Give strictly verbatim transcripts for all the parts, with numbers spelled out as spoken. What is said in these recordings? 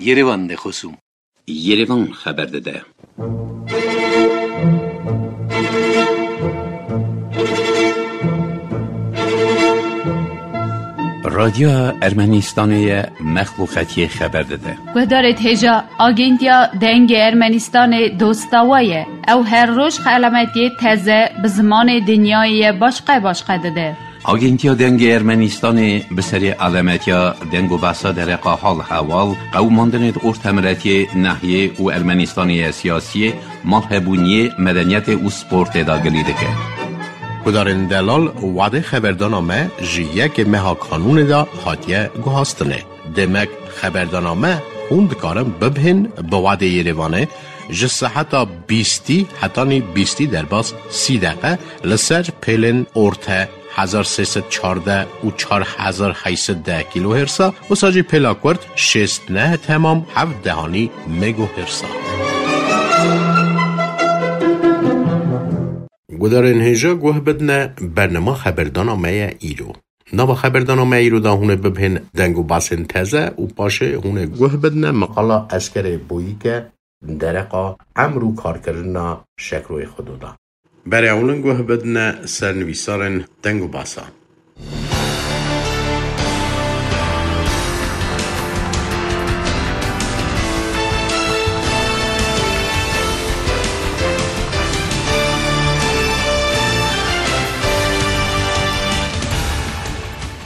Yerevan de xosûm. Yerevan xeber dide. Radyoya Ermenistanê ye, mexluqetiyê xeber dide. Guhdarêt hêja, Agentiya Dengê Ermenistanê dosta we ye. Ew her roj xelametiyê teze bi zimanê dinyayê ye başqe başqe dide. Agentiya Dengê Ermenistanê bi serê alemetiya deng û behsa dereqa hal hewal, qewimandinê di ortemiletiyê, nehiyê û Ermenistanê ya siyasiyê, malhebûniyê, medeniyetê û sportê de gilî dike. Gudarên delal, wadê xeberdana me ji yekê meha kanûnê de hatiye guhastinê. Demek xeberdana me hûn dikarin bibihên bi wadê Yerevanê ji seheta bîstî hetanî bîstî derbas sî deqe li ser pêlên orte hezar sê sed çardeh û çar hezar heyt sed deh kîlohêrsa, wisa jî pêla kurt şêst neh temam heft dehanî megohêrsa. Gudarên hêja guh bidine bernama xeberdana me ye îro. Nava xeberdana me îro de hûn ê bibihên deng û basên teze û paşê hûn ê guh bidine meqala Eskerê Boyîke dereqa emr û karkirina Şekroyê Xudo de. Berê ewlin guh bidine sernivîsarên deng û basa.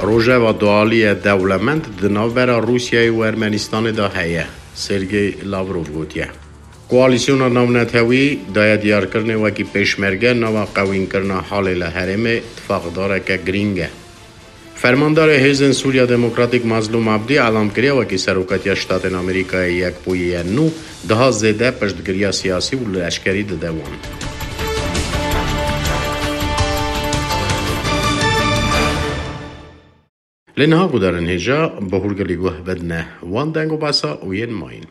Rojeva dualî ye dewlemend di navbera Rûsyayê û Ermenistanê de heye, Sergey Lavrov gotiye. Koalîsyona navnetewî daye diyarkirinê wekî pêşmerge nava qewînkirina halê li herêmê tifaqdareke girîng e. Fermandarê Hêzên Sûriya Demokratîk Mazlûm Abdî elam kiriye wekî Serokatiya Ştatên Amerîkayê Yekbûyî ye nû daha zêde piştgiriya siyasî û leşkerî dide wan. Lê niha gudarên hêja bi hûrgilî guh bidine wan deng û basa û yên mayîn.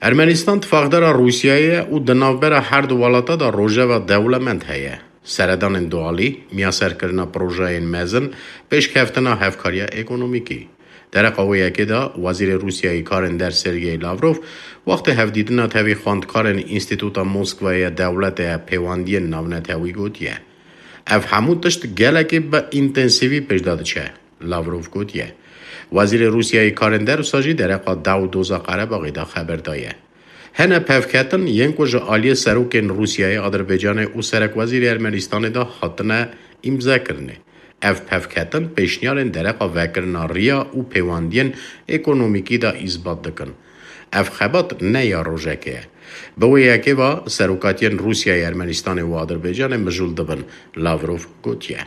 Ermenistan tifaqdara Rûsyayê ye û di navbera her du welata de rojeva dewlemend heye. Seredanên dualî, miyaserkirina projeyên mezin, pêşkeftina hevkariya ekonomîkî. Dereqa wê yekê de Wezîrê Rûsyayê Karên Der Sergey Lavrov, wextê hevdîtina tevî xwendkarên Înstîtuta Moskwayê ya Dewletê ya Pêwendiyên Navnetewî gotiye, ev hemû tişt gelekî bi întensîvî pêş de diçe. Lavrov gotiye. Wezîrê Rûsyayê Karên Der wisa jî dereqa daw û doza Qerebaxê de xeber daye. Hene pevketin yên ku ji aliyê serokên Rûsyayê, Adirbaycanê û serekwezîrê Ermenistanê de hatine îmzekirinê. Ev pevketin pêşniyarên dereqa vekirina riya û pêwendiyên ekonomîkî de îsbat dikin. Ev xebat ne ya rojekê ye. Bi wê yekê ve serokatiyên Rûsyayê, Ermenistanê û Adirbaycanê mijûl dibin, Lavrov gotiye.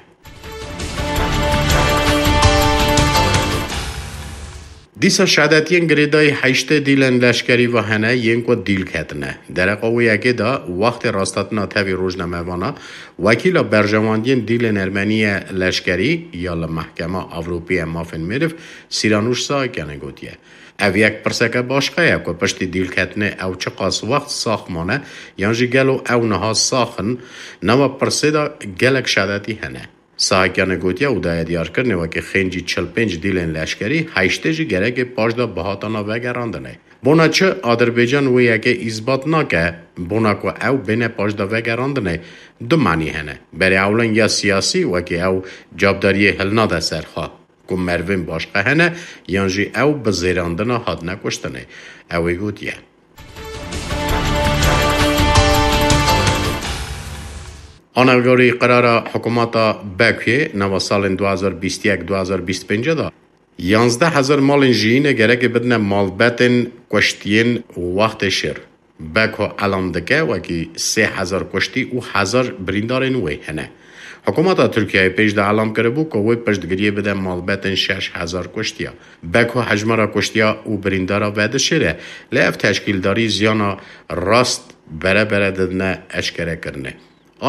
Dîsa şedetiyên girêdayî heştê dîlên leşkerî ve hene yên ku dîl ketine. Dereqa wê yekê de wextê rastetina tevî rojnamevana, wekîla berjewendiyên dîlên ermenî ye leşkerî ya li Mehkema Ewropî ya Mafên Meriv Sîranûş Sahakyanê gotiye. Ev yek pirseke başqe ye ku piştî dîlketinê ew çiqas wext sax mane yan jî gelo ew niha sax in, nava pirsê de gelek şedetî hene. Sahakyanê gotiye û daye diyarkirinê wekî xêncî çil pênc dîlên leşkerî, heştê jî gerekê paş de bihatana vegerandinê. Bona çi Adirbaycan wê yekê îsbat nake, bona ku ew bêne paş de vegerandinê, du manî hene. Berê ewlin ya siyasî wekî ew cavdariyê hilnade ser xwe ku merivên başqe hene yan jî ew bi zêrandina hatine kuştinê. Ew ê gotiye. Anegorî qirara hikûmeta Bekuyê nava salên du hazar bîst yek du hazar bîst pênc de yanzdeh hezar malên jiyînê gerekê bidine malbetên kuştiyên wextê şer. Beko elam dike wekî sê hezar kuştî û hezar birîndarên wê hene. Hikûmeta Tirkiyeyê pêş de elam kiribû ku wê piştgiriyê bide malbetên şeş hezar kuştiya. Beko hejmara kuştiya û birîndara vedişêre, lê ev teşkîldarî ziyana rast bere bere didine eşkerekirinê.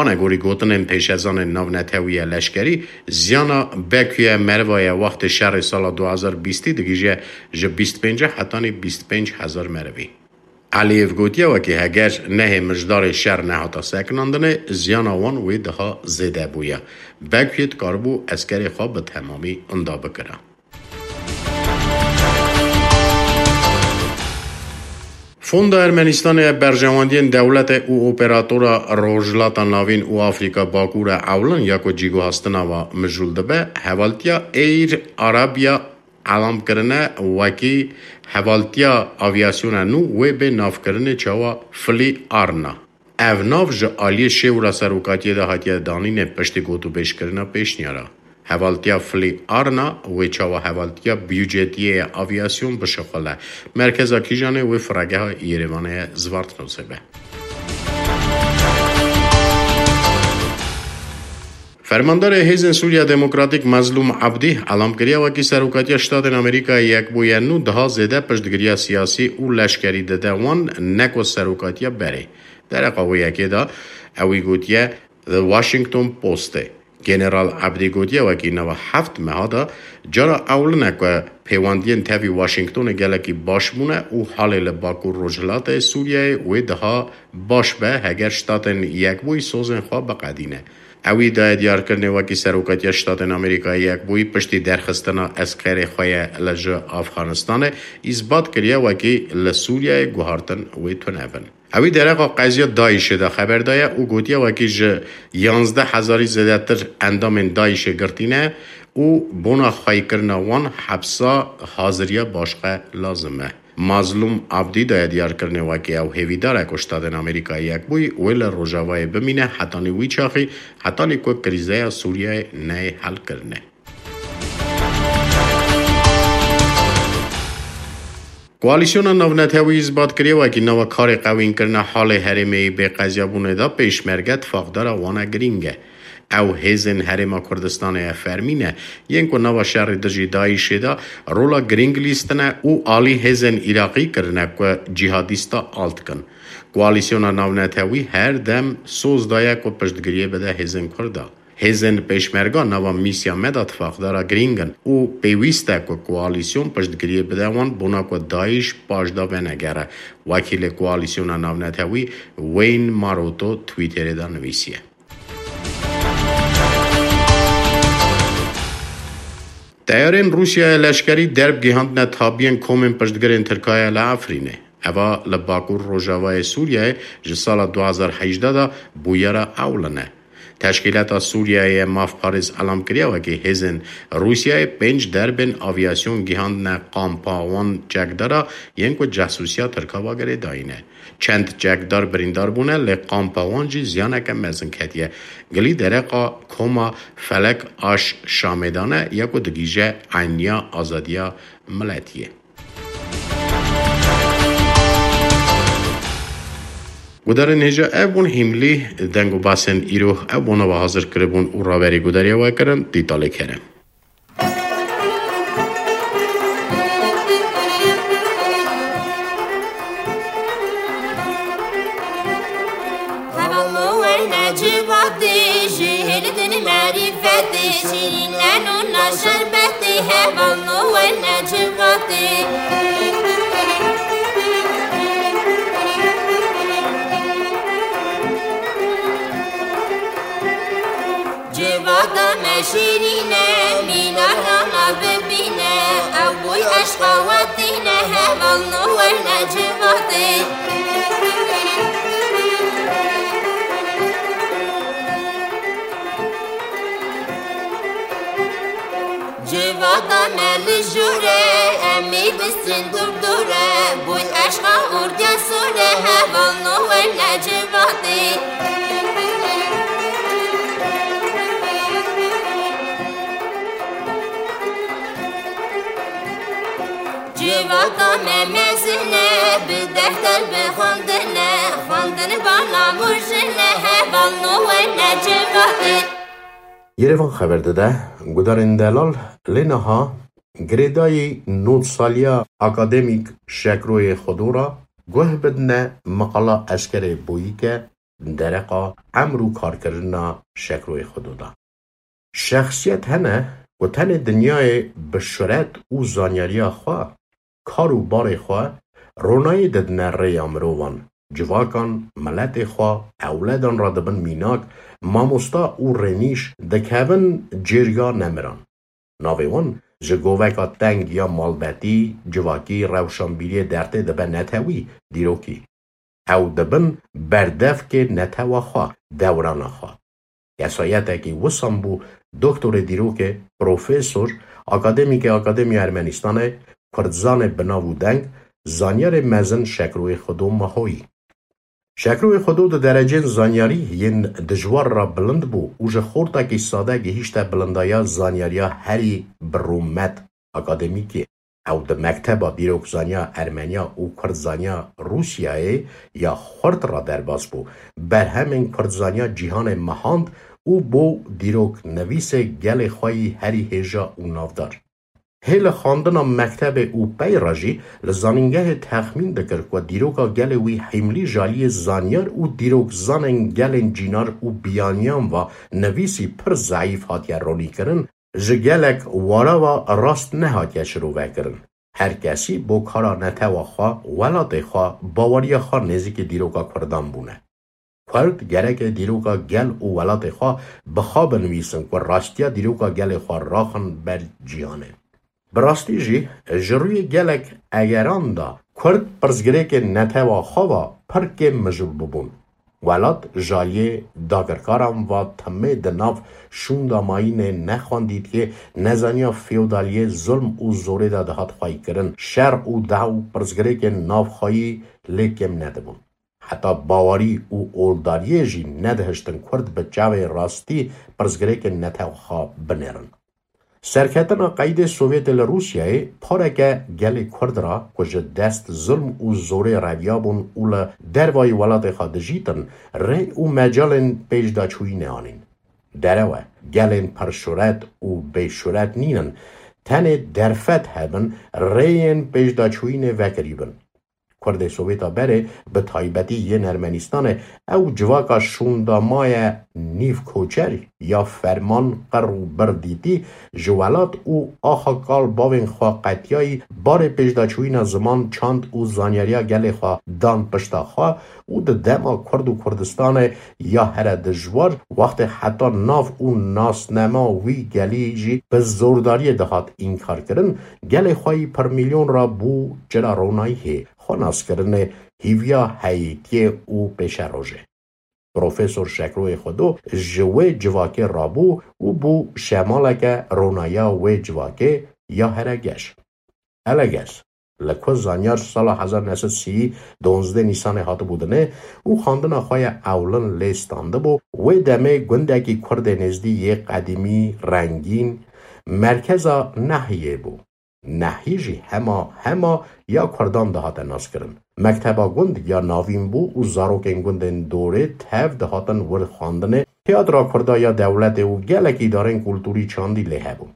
Anegorî gotinên pêşezanên navnetewî ya leşkerî, ziyana Bekuyê meriva ya wextê şerê sala du hazar bîstî digihîje ji bîst pênc hetanî bîst pênc hezar merivî. Elîyev gotiye, wekî heger nehê mijdarê şer nehata sekinandinê, ziyana wan wê daha zêde bûye. Bekuyê dikaribû eskerê xwe bi temamî inda bikira. Fonda Ermenistanê ya berjewendiyên dewletê û operatora Rojhilata Navîn û Afrîka Bakur e ewlin ya ku cîguhastina wa mijûl dibe, hevaltiya Air Arabia elam kirine wekî hevaltiya avyasyona nû wê bê navkirinê çawa Fly Arna. Ev nav ji aliyê şêwra serokatiyê de hatiye danînê piştî gotûbêjkirina pêşniyara. Hevaltiya Fly Arna wê çawa hevaltiya biyûcetiyê ya avyasyon bişixule. Merkeza kîjanê wê firegeha Yerevanê ye Zvartnosê be. Fermandarê Hêzên Sûriya Demokratîk Mezlûm Abdî elam kiriye wekî serokatiya Ştatên Amerîkayê Yekbûyî nû daha zêde piştgiriya siyasî û leşkerî dide wan, ne ku serokatiya berê. Dereqa wê yekê de ewî gotiye The Washington Postê. General Abdî gotiye wekî nava heft meha de cara ewlin e ku pêwendiyên tevî Washingtonê gelekî baş bûne û halê li Bakur Rojhilatê Sûriyeyê wê daha baş be heger Ştatên Yekbûyî sozên xwe biqedîne. Ewî daye diyarkirinê wekî Serokatiya Ştatên Amerîkayê Yekbûyî piştî derxistina eskerê xwe ye li ji Afganistanê, îsbat kiriye wekî li Sûriyeyê guhartin wê tune bin. Ewî dereqa qeziya DAIŞê de xeber daye û gotiye wekî ji yanzdeh hezarî zêdetir endamên DAIŞê girtî ne û bona xweykirina wan hepsa haziriya başqe lazim e. Mazlûm Abdî daye diyarkirinê wekî ew hêvîdar e ku Ştatên Amerîkayê Yekbûyî wê li Rojavayê bimîne hetanî wî çaxî, hetanî ku krîzeya Sûriyeyê neyê helkirinê. Koalîsyona navnetewî îsbat kiriye wekî nava karê qewînkirina halê herêmê yê bê qeziyabûnê de pêşmerge tifaqdara wan e girîng e. Ew hêzên Herêma Kurdistanê ye fermî ne, yên ku nava şerê dijî DAIŞê de rola girîng lîstine û alî hêzên Iraqî kirine ku cîhadîsta alt kin. Koalîsyona navnetewî her dem soz daye ku piştgiriyê bide hêzên Kurda. Hêzên pêşmerga nava mîsya me de tifaqdara girîng in û pêwîst e ku koalîsyon piştgiriyê bide wan bona ku DAIŞ paş de venegere, wekîlê Koalîsyona Navnetewî Wayne Maroto Twitterê de nivîsiye. Teyarên Rûsyayê leşkerî derb gihandine tabiyên komên piştgirên Tirkayê li Efrînê. Eva li Bakur Rojavayê Sûriyeyê ji sala du hezar hejdeh de bûyera ewlin e. Teşkîlata Sûriyeyê ye mafparêz elam kiriye wekî hêzên Rûsyayê pênc derbên avyasyon gihandine kampa wan çekdara yên ku cehsûsiya Tirka va girêdayî ne. Çend çekdar birîndar bûne, lê kampa wan jî ziyaneke mezin ketiye. Gilî dereqa koma Felek Aş Şamê de ne ya ku digihîje eyniya azadiya miletiyê. Gudarên hêja ev bûn hîmlî deng û basên îro ev bona ve hazir kiribûn û raberî gudariya we kirin Dîtalê Kerem. Hevalno werne civatê, ji hêlidin merîfetê, şîrîneno na şerbetê, hevalno werne civatê. Civata me şîrîn e, mînara me bibîne, ew boy eşqa we tîne, hevalno werne civatê. Civata me li jûr e, em ê bistîn dûr dûr e, boy eşqa ordiya sor e, hevalno werne civatê. Civata me mezin e, bi defter bi xwendin e, xwendin bana murjin e, hevalno werne civatê. Yerevan xeber dide, gudarên delal lê niha girêdayî nod saliya akademîk Şekroyê Xwedora guh bidine meqala Eskerê Boyîke dereqa emr û karkirina Şekroyê Xwedo de. Şexsiyet hene ku tenê dinyayê bi şuret û zanyariya xwe, kar û barê xwe ronayî didine rêya mirovan, civakan, miletê xwe, ewledan re dibin mînak, mamosta û rênîş dikevin cêriya nemiran. Navê wan ji goveka teng ya malbetî, civakî, rewşanbîriyê dertê dibe netewî, dîrokî. Ew dibin berdevkê netewa xwe, dewrana xwe. Kesayetekî wisan bû, doktorê dîrokê, profesor, akademîkê Akademiya Ermenistanê, kurdzanê bi nav û deng, zanyarê mezin Şekroyê Xwedo Mahoyî. Şekroyê Xwedo di derecên zanyarî yên dijwar re bilind bû û ji xortekî sade gihîşte bilindaya zanyariya herî bi rûmet akademîkê. Ew di mekteba dîrokzaniya Ermeniya û Kurdzaniya Rûsyayê ya xurt re derbas bû. Berhemên kurdzaniya cîhanê mehand û bû dîroknivîsê gelê xwe yî herî hêja û navdar. Hê li xwendina mektebê û pey re jî li zanîngehê texmîn dikir ku dîroka gelê wî hîmlî ji aliyê zanyar û dîrokzanên gelên cînar û biyaniyan ve nivîsî pir zeîf hatiye ronîkirin, ji gelek wara ve rast nehatiye şirovekirin. Her kesî bo kara netewa xwe, welatê xwe, baweriya xwe nêzîkî dîroka kurdan bûne. Kurd gereke dîroka gel û welatê xwe bi xwe binivîsin ku rastiya dîroka gelê xwe raxin ber cîhanê. Bi rastî jî ji rûyê gelek egeran de Kurd pirsgirêkên netewa xwe ve pir kêm mijûl bûbûn. Welat ji aliyê dagirkaran ve timê di nav şûnda mayînê nexwendîtiyê, nezaniya feodaliyê, zulm û zorê de dihat xweykirin. Şer û dew pirsgirêkên navxweyî lê kêm nedibûn. Heta bawerî û oldariyê jî nedihiştin Kurd bi çavê rastî pirsgirêkên netewa xwe binêrin. Serketina qeydê Sovyetê li Rûsyayê pareke gelê Kurd re ku ji dest zilm û zorê reviyabûn û li dervayî welatê xwe dijîtin, rê û mecalên pêşdaçûyînê anîn. Derew e, gelên pirşuret û bêşuret nînin, tenê derfet hebin, rêyên pêşdaçûyînê vekirî bin. Kurdê Sovêta berê, bi taybetî yên Ermenîstanê, ew civaka şûnda maye nîv koçer ya ferman qir û bir dîtî, ji welat û axa kal bavên xwe qetiyayî, barê pêşdaçûyîna ziman, çand û zanyariya gelê xwe dan pişta xwe û di dema Kurd û Kurdistanê ya here dijwar, wextê heta nav û nasnema wî gelî jî bi zordariyê dihat înkarkirin, gelê xwe yî pirmilyon re bû çira ronayîhê, xwenaskirinê, hîviya heyîtiyê û pêşerojê. Profesor Şekroyê Xwedo ji wê civakê rabû û bû şemaleke ronaya wê civakê ya here geş. Eleges, li ku zanyar sala hezar neh sed sî donzdeh Nîsanê hatibû dinê û xwendina xwe ya ewlin lê standibû, wê demê gundekî Kurdê nêzdî yê qedîmî, rengîn, merkeza nehiyê bû. Nehî jî hema hema ya Kurdan dihate naskirin. Mekteba gund ya navîn bû û zarokên gundên dorê tev dihatin wir xwendinê, tiyatra Kurda ya dewletê û gelek îdarên kulturî çandî lê hebûn.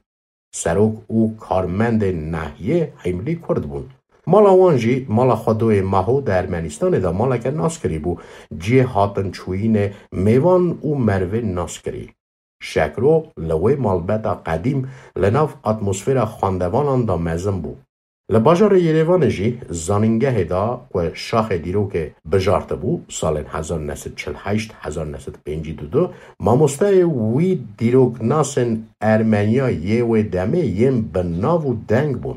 Serok û karmendên nehiyê hîmlî Kurd bûn. Mala wan jî mala Xwedoyê Maho di Ermenîstanê de maleke naskirî bû, cihê hatinçûyînê mêvan û merivên naskirî. Şekro li wê malbeta qedîm li nav atmosfera xwendevanan de mezin bû. Li bajarê Yerêvanê jî zanîngehê de ku şaxê dîrokê bijartibû, salên hezar neh sed çil heşt, hezar neh sed pêncî û du, mamosteyê wî dîroknasên Ermeniya yê wê demê yên bi nav û deng bûn.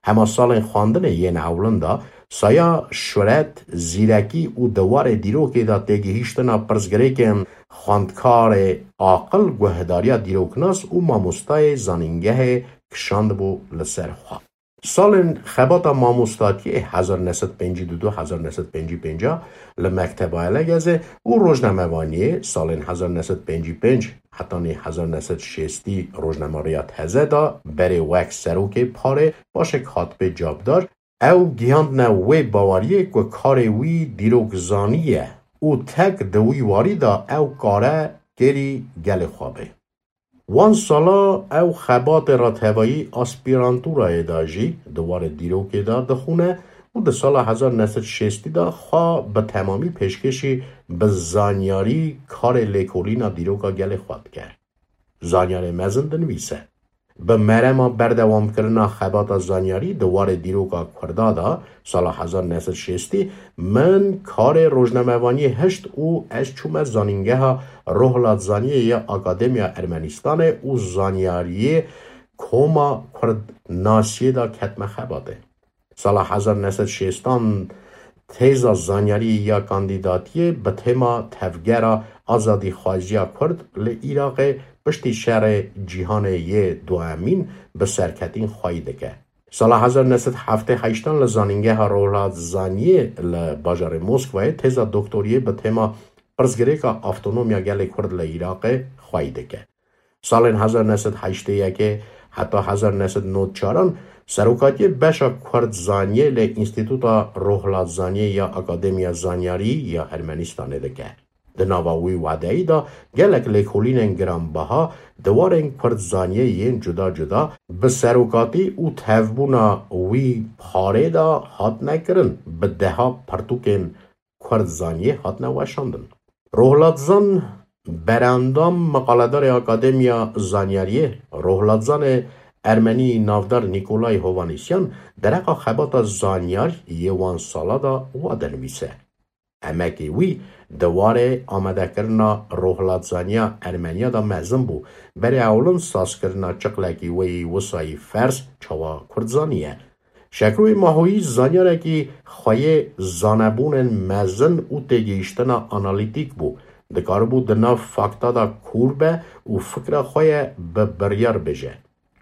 Hema salên xwendinê yên ewlin de saya şuret, zîrekî û di warê dîrokê de têgihîştina pirsgirêkên xwendkarê aqil, guhdariya dîroknas û mamostayê zanîngehê kişandibû li ser xwe. Salên xebata mamostatiyê hezar neh sed pêncî û du, hezar neh sed pêncî û pênc li Mekteba Elegezê û rojnamevaniyê salên hezar neh sed pêncî û pênc hetanî hezar neh sed şêstî rojnamariya teze da, berê wek serokê parê, paşek hatibê cabdar, ew gihandine wê baweriyê ku karê wî dîrokzanî ye û tek di wî warî de ew kare kêrî gelê xwe bê. Wan sala ew xebatê re tevayî aspîrantûrayê de jî di warê dîrokê de dixûne û di sala hezar neh sed şêstî de xwe bi temamî pêşkêşî bi zanyarî karê lêkolîna dîroka gelê xwe dike. Zanyarê mezin dinivîse. Bi merema berdewamkirina xebata zanyarî di warê dîroka Kurda de, sala hezar neh sed şêstî, min karê rojnamevaniyê hişt û ez çûme zanîngeha rohlatzaniyê ya Akademiya Ermenîstanê û zanyariyê koma Kurd nasiyê de ketime xebatê. Sala hezar neh sed şêstan têza zanyarî ya kandîdatiyê bi tema Tevgera Azadîxwaziya Kurd li Iraqê piştî şerê cîhanê yê duemîn bi serketîn xweyî dike. Sala hezar neh sed heftê heştan li Zanîngeha Rohilatzaniyê li bajarê Moskwayê têza doktoriyê bi tema Pirsgirêka Avtonomiya Gelê Kurd li Iraqê xweyî dike. Salên hezar neh sed heştê yekê heta hezar neh sed nod çaran serokatiyê beşa Kurdzaniyê li Înstîtuta Rohilatzaniyê ya Akademiya Zanyarî ya Ermenistanê dike. Di nava wî wedeyî de gelek lêkolînên giranbaha di warên Kurdzaniyê yên cuda cuda bi serokatî û tevbûna wî parê de hatine kirin, bi deha pirtûkên Kurdzaniyê hatine weşandin. Rohlatzan berendam, miqaledarê Akademiya Zanyariyê, rohlatzanê ermenî navdar Nîkolay Hovanîsyan dereqa xebata zanyar yê wan sala de wa dinivîse. Emekê wî di warê amadekirina rohlatzaniya Ermeniya de mezin bû. Berê ewlin sazkirina çiqlekî wê yî wisayî ferz çawa Kurdzanî ye. Şekroyê Mahoyî zanyarekî xweyê zanebûnên mezin û têgihiştina analîtîk bû. Dikaribû di nav fakta de kûr be û fikra xwe ye bi biryar bêje.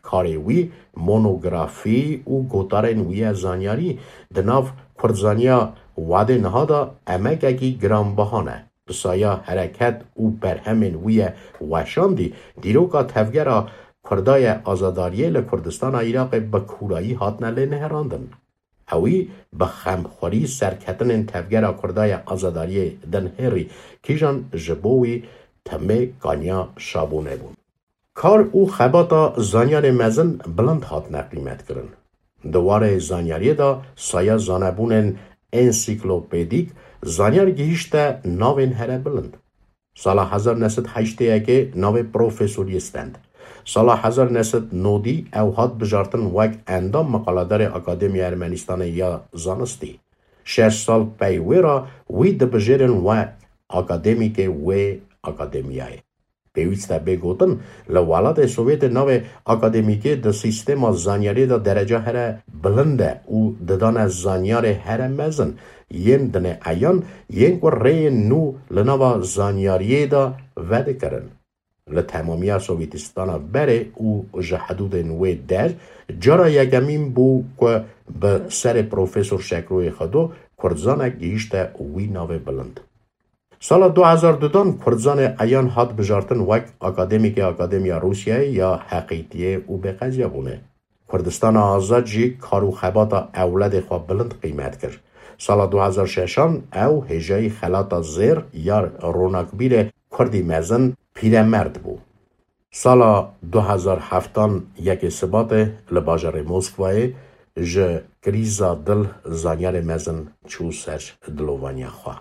Karê wî, monografî û gotarên wî ye zanyarî di nav kurdzaniya wadê niha de emekekî giranbaha ne. Bi saya hereket û berhemên wî ye weşandî, dîroka tevgera Kurda ye azadariyê li Kurdistana Iraqê bi kûrayî hatine lênihêrandin. Ewî bi xemxwerî serketinên tevgera Kurda ye azadariyê dinihêrî, kîjan ji bo wî timê kaniya şabûnê bûn. Kar û xebata zanyarê mezin bilind hatine qîmetkirin. Di warê zanyariyê de saya zanebûnên ensiklopedîk zanyar gihîşte navên here bilind. Sala hezar neh sed heştê yekê navê profesoriyê stend. Sala hezar neh sed nodî ew hat bijartin wek endam miqaledarê Akademiya Ermenistanê ya Zanistî. Şeş sal pey wê re wî dibijêrin we akademîkê wê akademiyayê. Pêwîst e bê gotin, li welatê Sovyetê navê akademîkê di sîstema zanyariyê de dereca here bilind e û didane zanyarê here mezin, yên dinê eyan, yên ku rêyên nû li nava zanyariyê de vedikirin. Li temamiya Sovyetîstana berê û ji hidûdên wê der, cara yekemîn bû ku bi serê Profesor Şekroyê Xwedo Kurdzanek gihîşte wî navê bilind. Sala du hezar dudan Kurdzanê eyan hat bijartin wek akademîkê Akademiya Rûsyayê ya Heqîtiyê û Bêqeziyabûnê. Kurdistana Azad jî kar û xebata ewledê xwe bilind qîmet kir. Sala du hezar şeşan ew hêjayî xelata zêr ya ronakbîrê Kurdî mezin Pîremerd bû. Sala du hezar heftan yekê Sibatê li bajarê Moskwayê ji krîza dil zanyarê mezin çû ser dilovaniya xwe.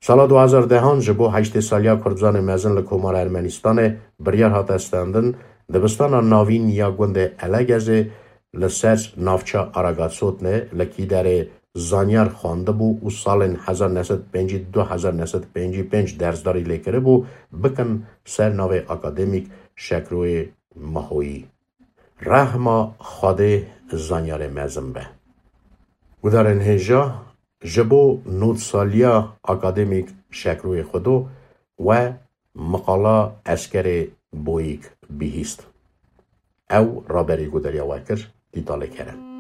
Sala du hezar dehan ji bo heştê saliya Kurdzanê mezin li Komara Ermenistanê biryar hate stendin, dibistana navîn ya gundê Elegezê li ser navça Aragatsotinê li kîderê zanyar xwendibû û salên hezar neh sed pêncî du hezar neh sed pêncî pênc dersdarî lê kiribû, bikin ser navê akademîk Şekroyê Mahoyî. Rehma Xwedê zanyarê mezin be. Gudarên hêja, ji bo nod saliya akademîk Şekroyê Xwedo we miqala Eskerê Boyîk bihîst. Ew raberî gudariya we kir, Dîtalê Kerem.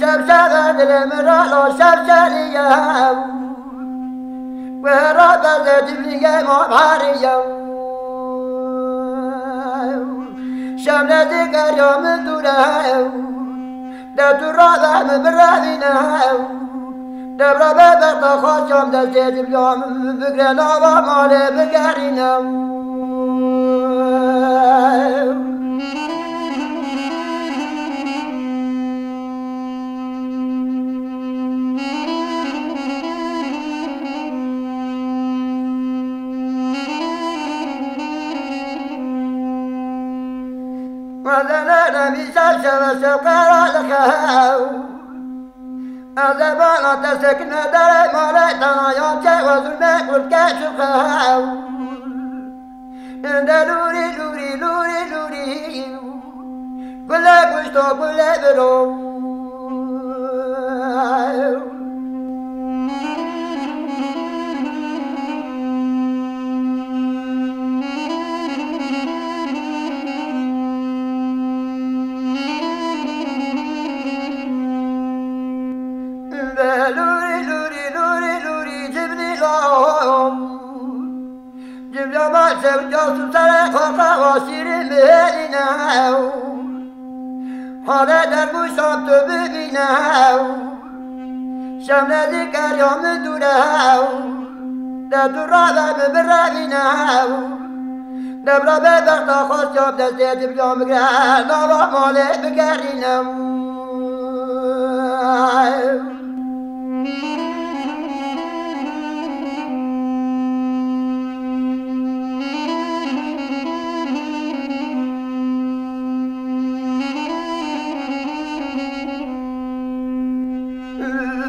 Şevşeva dilê min ralo şevşeriye. Wera bezê dimlîgê ma bariye. Şevle digeriya min dûre. De tu rade min birevîne. Devra bebek de xwaşam destê dimliya min bigre nava malê bigerîne. Xwezele remî şev şeve şev qera li xew. Ez ê bana te sekine derê malê tena ya çê we zulmê kurt keç û xew. Inde lûrî, lûrî, lûrî, lûrî. Gulê kuşto, gulê biro. Lûrî, lûrî, lûrî, lûrî, cibnî lo. Cibra ma sevca tu serê xwe qewa şîrîn bihêlîne. Hale dergûşan tu bibîne. Şem nêzîk e ya min dûr e. De tu rave min birevîne. Debra bê bexta xwestiya bi destê cibra min gire. Nava malê bigerîne.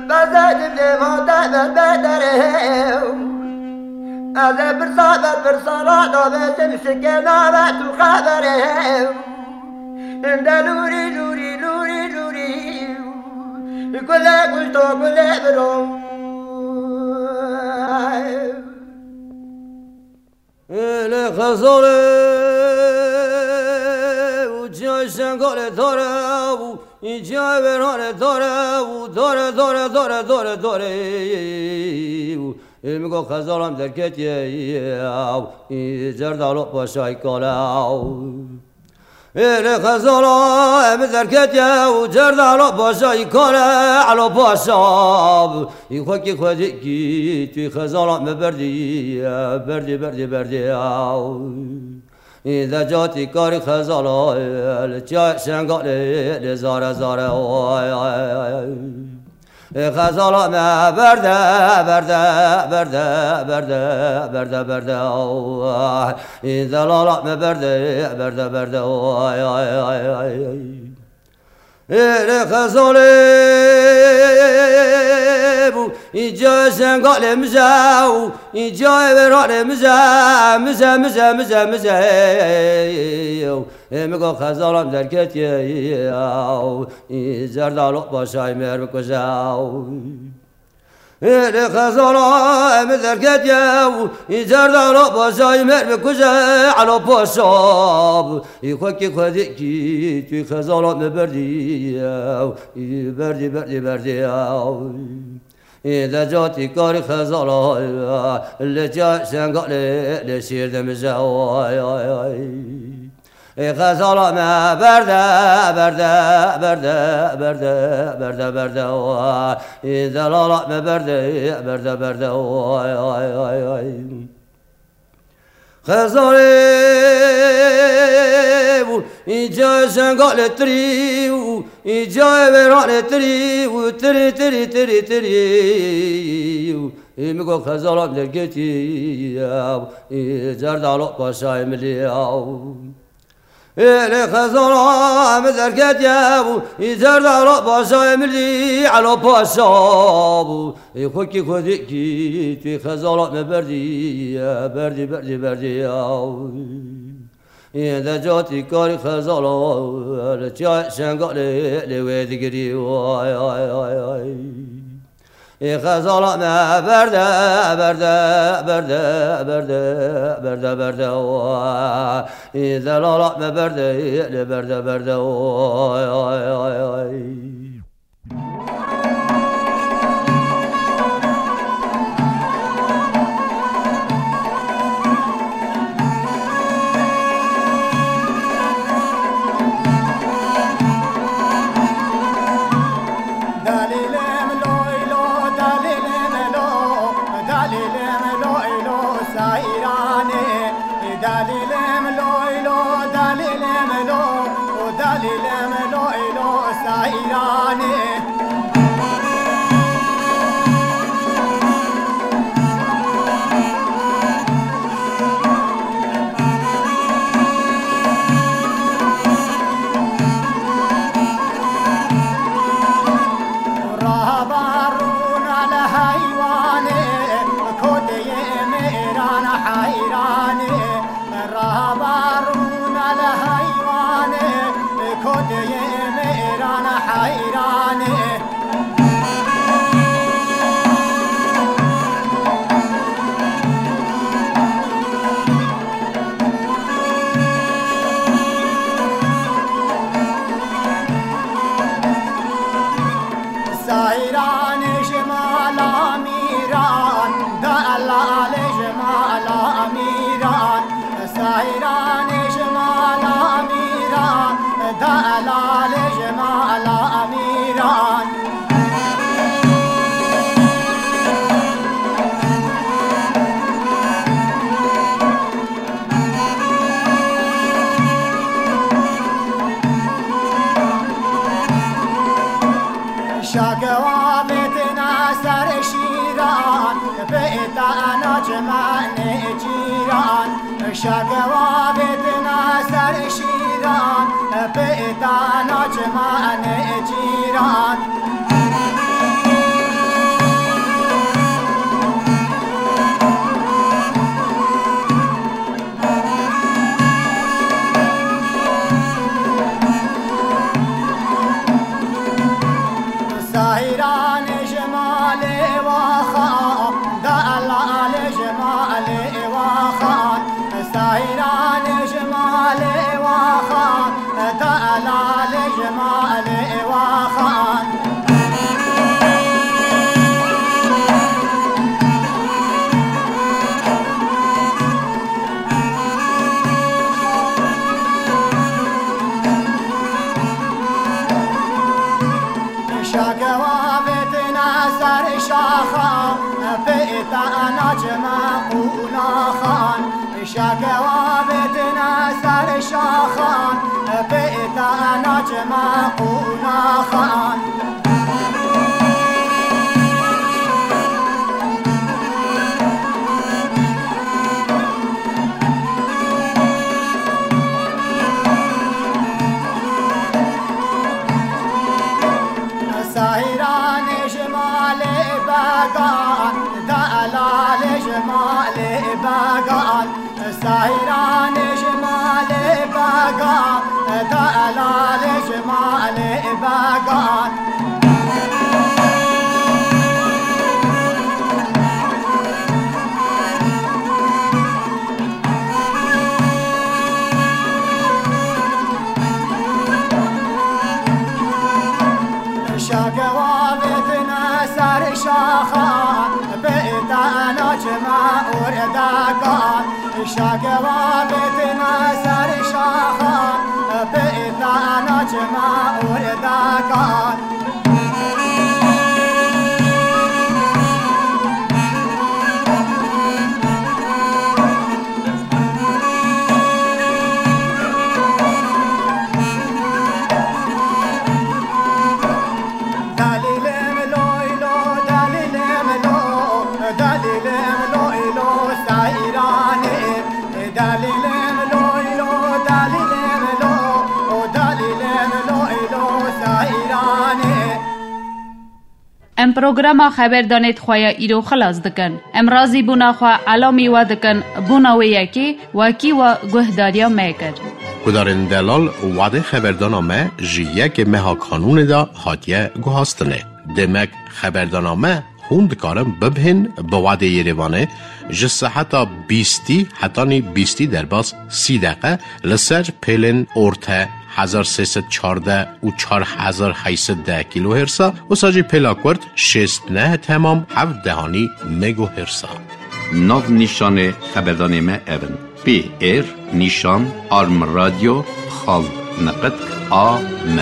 Bezê dibê ma te ber bederê. Ez ê pirsa ber pirsa ra davêjim, şikê nave tu xeberê. Inde lûrî, lûrî, lûrî, lûrî. Gulê kuşto, gulê biro. Êlê xezalê û ciyayê şengalê dare û ciyayê wêranê dare û dare, dare, dare, dare, dare û ê min got xezalam derketiye û cerdalo paşayî kale û Êlê xezala em derketiye û cerdala paşa î kare Elo Paşa. Î xwekî xwedî kî tu xezala me berdî, berdî, berdî, berdî. Î decatî karî xezala li çay şengalê lê zare zare. Ay, ay, ay. Ê xezala me berde, berde, berde, berde, berde, berde, oh. Ê zelala me berde, berde, berde, oh, ay, ay, ay, ay, ay. Ê rê xezalê bû, î cayê şengalê mize û î cayê wêranê mize, mize, mize, mize, mize. Ê min got xezalam derketiye, ê zerdalo paşayê mêr bikuje. Ê rê xezala em derketiye, ê zerdalo paşayê mêr bikuje, Elo Paşa. Ê xwekî xwedî kî tu xezala me berdî, ê berdî, berdî, berdî. Ê decatî karî xezala, lê çay şengalê lê şîr dimije, ay, ay, ay. Ê xezala me berde, berde, berde, berde, berde, berde, ay. Ê zelala me berde, berde, berde, ay, ay, ay, ay. Xezalê bû, î cayê şengalê tirî û î cayê wêranê tirî û tirî, tirî, tirî, tirî û ê min got xezalam derketiye, ê zerdalo paşayê milî. Ê rê xezala em derketiye û î zerdalo paşayê milî, Elo Paşa bû. Ê xwekî xwedî kî tu xezala me berdî, berdî, berdî, berdî. Ê decatî karî xezala, li çay şengalê lê wê digirî, ay, ay, ay, ay. Ê xezala me berde, berde, berde, berde, berde, berde, ay. Ê zelala me berde, lê berde, berde, ay, ay, ay, ay. Dalîlim loy lo, dalîlim lo, dalîlim loy lo seyranê. Dalîlim loy lo, dalîlim lo, dalîlim loy lo seyranê. Mîranê ji mala Mîran, delalê ji mala Mîran. Şakewa vêtina ser şîran, bêta ana çimanê cîran. Şakewa vêtina ser şîran, bêta ana çimanê cîran. Sahîranê ji malê waxan, delalê ji malê waxan. Sahîranê ji malê waxan, delalê ji malê waxan. Şakewa vêtina ser şaxan, pêta ana çima qunaxan. Şakewa vêtina ser şaxan, pêta ana çima qunaxan. Sahîranê ji malê began, delalê ji malê began. Sahîranê ji malê began, delalê ji malê began. Şakewa vêtina ser şaxan, bêta ana çima ordakan. Şakewa vêtina ser şaxan, bêta ana çima ordakan. Dalîlê min lo îlo, dalîlê min lo, dalîlê min lo îlo, seyranê. Dalîlê min lo îlo, dalîlê min lo, o dalîlê min lo îlo, seyranê. Em programa xeberdanê di xwe ya îro xilas dikin. Em razîbûna xwe elamî we dikin, bona wê yekê wekî we guhdariya me kir. Guhdarên delal, wadê xeberdana me ji yekê meha Kanûnê de hatiye guhastinê. Demek xeberdana me hûn dikarin bibihên bi wadê Yerêvanê ji seheta bîstî hetanî bîstî derbas sî deqe li ser pêlên orte hezar sê sed çardeh û çar hezar heyt sed deh kîlohêrsa, wisa jî pêla kurt şêst neh temam heft dehanî megohêrsa. Nav nîşanê xeberdanê me ev in: P R nîşan arm radio xal niqitk A M.